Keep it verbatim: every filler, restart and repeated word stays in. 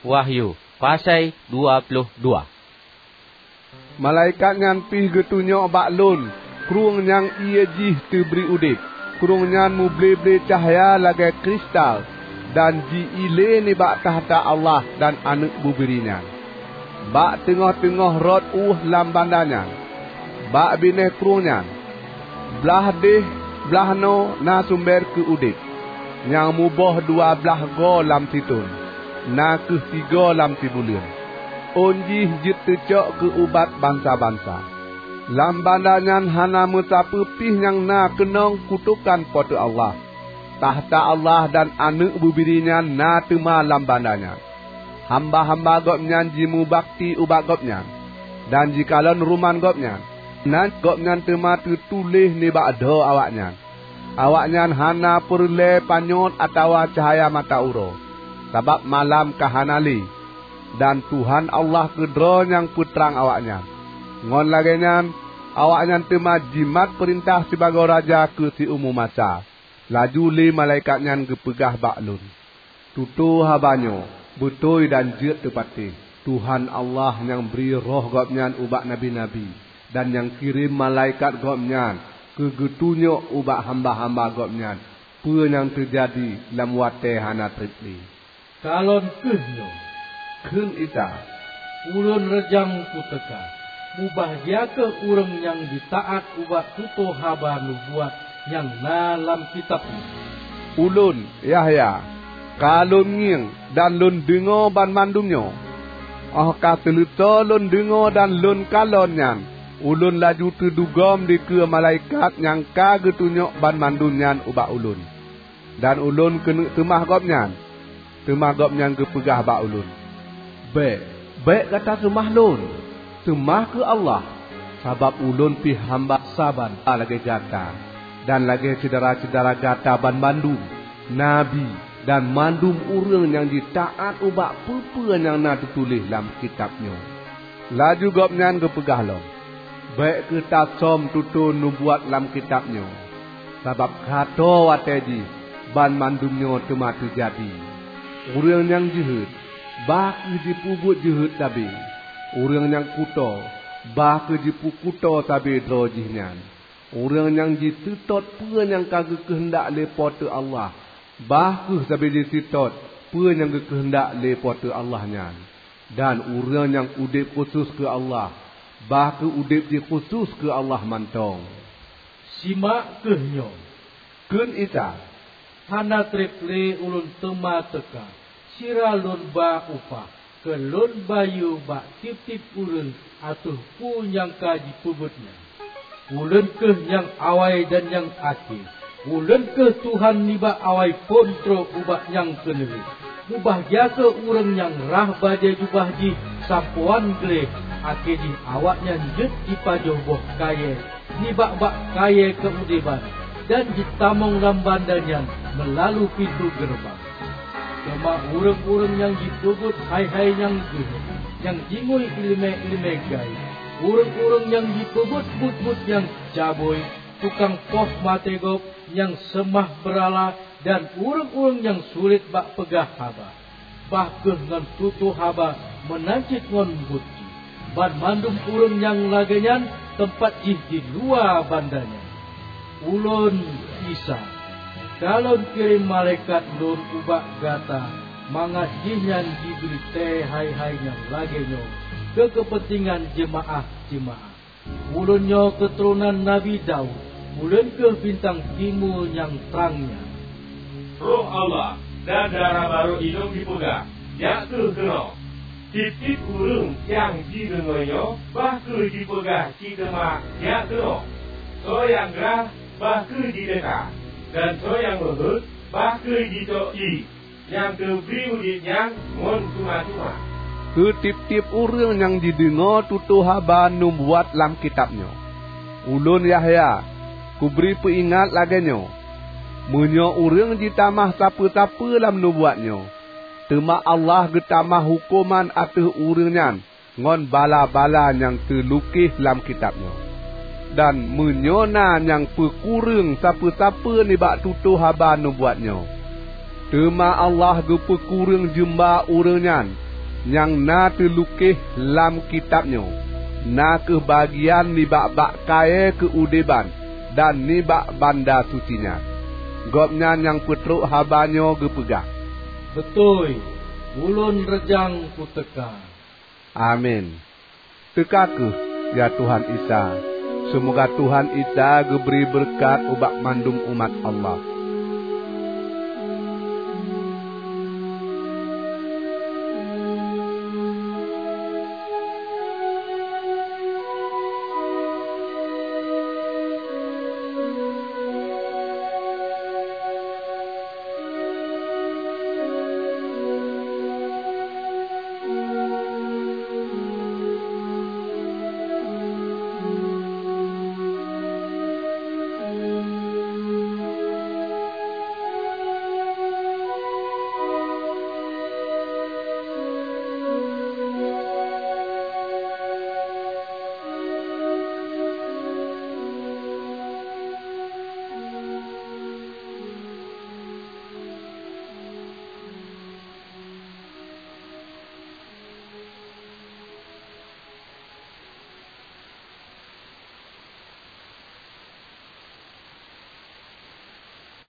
Wahyu, pasai dua ploh dua. Malaikat nyan pih geutunyok bak lôn krueng nyang ié jih teubri udeb. Krueng nyan muble-ble cahya lagée kristal dan ji-ilée nibak takhta Allah dan Aneuëk Bubiri nyan. Bak teungoh-teungoh rot ueh lam banda nyan, bak binéh krueng nyan, blaih deh blaih noe na sumber keu udeb, nyang muboh dua blaih goe lam sithon, na kheueh sigoe lam sibuleuen. Ôn jih jeuet teucok keu ubat bansa-bansa. Lam banda nyan hana meusapeue pih nyang na keunong kutokan Po teu Allah. Takhta Allah dan Aneuëk Bubiri nyan na teuma lam banda nyan. Hamba-hamba Gobnyan jimubakti ubak Gobnyan, dan jikalon ruman Gobnyan. Nan Gobnyan teuma teutuléh nibak droe awaknyan. Awaknyan hana peureulée panyöt atawa cahya mata uroe, sabab malam ka hana lé, dan Tuhan Allah keudroe nyang peutrang awaknyan. Ngon lagée nyan, awaknyan teuma jimat peurintah sibagoe raja keu siumu masa. Laju lé malaikat nyan geupeugah bak lôn, "Tutoe haba nyoe beutôi dan jeuet teupatéh. Tuhan Allah nyang bri Roh Gobnyan ubak nabi-nabi, dan nyang kirém malaikat Gobnyan keu geutunyok ubak hamba-hamba Gobnyan peue nyang teujadi lam watée hana treb lé." "Kalon kheueh nyoe," kheun Isa, "Ulôn reujang kuteuka. Mubahgia kheueh ureuëng nyang jitaát ubak tutoe haba nubuat nyang na lam kitab nyoe." Ulôn, Yahya, ka lôn ngieng dan lôn deungoe banmandum nyoe. Óh ka seuleusoe lôn deungoe dan lôn kalon nyan, ulôn laju teudugom dikeue malaikat nyang ka geutunyok banmandum nyan ubak ulôn. Dan ulôn keuneuk seumah gobnyan. Teuma gobnyan geupeugah bak ulôn, "Bék, bék gata seumah lôn! Seumah keu Allah, sabab ulôn pih hamba saban lagée gata, dan lagée syedara-syedara gata banmandum, nabi, dan mandum ureuëng nyang jitaát ubak peue-peue nyang na teutuléh lam kitab nyoe." Laju gobnyan geupeugah lom, "Bék kheueh tasöm tutoe nubuat lam kitab nyoe, sabab ka tô watée jih banmandum nyoe teuma teujadi. Ureuëng nyang jeuhet, bah kheueh jipeubuet jeuhet sabe. Ureuëng nyang kuto, bah kheueh jipeukuto sabe droe jih nyan. Ureuëng nyang jiseutôt peue nyang ka geukeuheundak lé Po teu Allah, bah kheueh sabe jiseutôt peue nyang geukeuheundak lé Po teu Allah nyan. Dan ureuëng nyang udeb khusos keu Allah, bah kheueh udeb jih khusos keu Allah mantong." "Simak kheueh nyoe," kheun Isa, "hana treb lé Ulôn teuma teuka. Sira Lôn ba upah keu Lôn bayeue bak tieb-tieb ureuëng ateueh peue nyang ka jipeubuet nyan. Ulôn kheueh nyang awai dan nyang akhé. Ulôn kheueh Tuhan nibak awai phon trok ubak nyang keuneulheueh. Mubahgia kheueh ureuëng nyang rhah bajée jubah jih sampoe gleh, akhé jih awaknyan jeuet jipajoh boh kayée nibak bak kayée keuudeban, dan jitamong lam banda nyan meulalu pintoe geureubang. Teuma ureuëng-ureuëng nyang jipeubuet hai-hai nyang geuh, nyang jingui iéleumé-iéleumé gaéb, ureuëng-ureuëng nyang jipeubuet buet-buet nyang cabui, tukang poh maté gob nyang seumah beurala, dan ureuëng-ureuëng nyang sulet bak peugah haba, bah kheueh ngon tutoe haba meunan cit ngon buet jih. Banmandum ureuëng nyang lagée nyan teumpat jih di luwa banda nyan. Ulôn, Isa, ka Lôn kirém malaikat Lôn ubak gata mangat jihnyan jibri tée hai-hai nyang lagée nyoe keu keupeuntengan jeumaáh-jeumaáh. Ulôn nyoe keuturonan Nabi Daud, Ulôn kheueh bintang timu nyang trang nyan." Roh Allah dan dara barô inong jipeugah, "Jak kheueh keunoe!" Tieb-tieb ureuëng nyang jideungoe nyoe bah kheueh jipeugah cit teuma, "Jak keunoe!" Soe nyang grah bah kheueh jiteuka, dan soe nyang meuheuét bah kheueh jicok ié nyang teubri udeb nyan ngon teuma-teuma. Keu tieb-tieb ureuëng nyang jideungoe tutoe haba nubuat lam kitab nyoe, ulôn, Yahya, kubri peuingat lagée nyoe, meunyoe ureuëng jitamah sapeue-sapeue lam nubuat nyoe, teuma Allah geutamah huköman ateueh ureuëng nyan ngon bala-bala nyang teulukéh lam kitab nyoe. Dan meunyoe na nyang peukureueng sapeue-sapeue nibak tutoe haba nubuat nyoe, teuma Allah geupeukureueng jeumba ureuëng nyan. nyang na teulukéh lam kitab nyoe, na kheueh bagian nibak bak kayée keuudeban dan nibak banda suci nyan. Gobnyan nyang peutrok haba nyoe geupeugah, "Beutôi, ulôn reujang kuteuka." Amin. Teuka kheueh, ya Tuhan Isa. Seumoga Tuhan Isa geubri beureukat ubak mandum umat Allah.